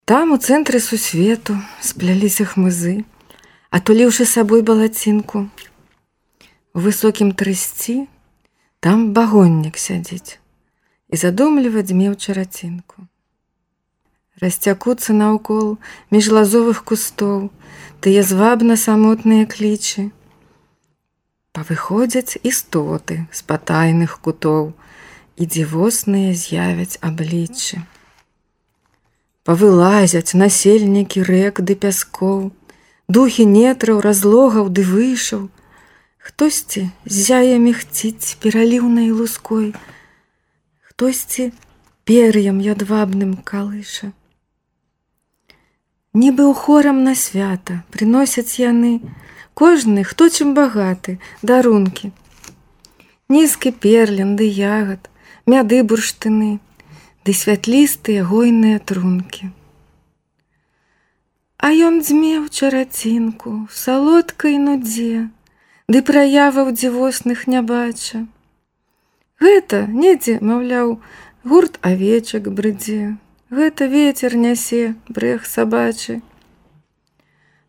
Там у цэнтры сусвету спляліся хмызы, атуліўшы сабой балацінку. У высокім трысці там багоннік сядзіць і задумліва дзьме ў чарацінку. Расцякуцца наўкол між лазовых кустоў тыя звабна самотныя клічы. Павыходзяць істоты з патайных кутоў і дзівосныя з'явяць абліччы. Павылазяць насельнікі рэк ды пяскоў, духі нетраў, разлогаў ды вышаў. Хтосьці ззяе мігціць пераліўнай луской, хтосьці пер'ям ядвабным калыша. Нібы ў хорам на свята прыносяць яны, кожны, хто чым багаты, дарункі. Нізкі перлін ды ягад, мяды бурштыны, ды святлістыя гойныя трункі. А ён дзьме ў чарацінку, в салодкай нудзе, ды праяваў дзівосных не бача. Гэта недзе, маўляў, гурт авечак брыдзе, гэта вецер нясе брэх сабачы.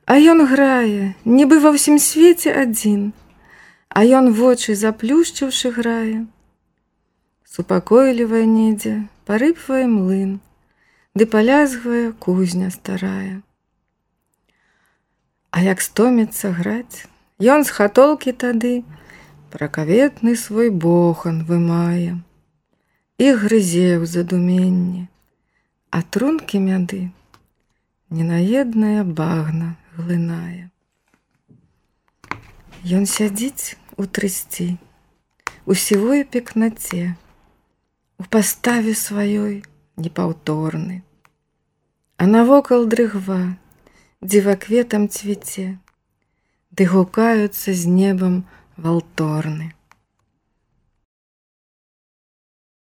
А ён грае, нібы ва ўсім свеце адзін, а ён вочы заплюшчыўшы грае. Супакойлівае недзе, парыпвае млын, ды палязгвае кузня старая. А як стоміцца граць, ён з хатолкі тады пракаветны свой бохан вымае і грызе ў задуменні, а трункі мяды ненаеднае багна глынае. Ён сядзіць у трысці, у сівой пекнаце, у паставе сваёй непаўторны, а навокал дрыгва дзівакветам цвіце, ды гукаюцца з небам валторны.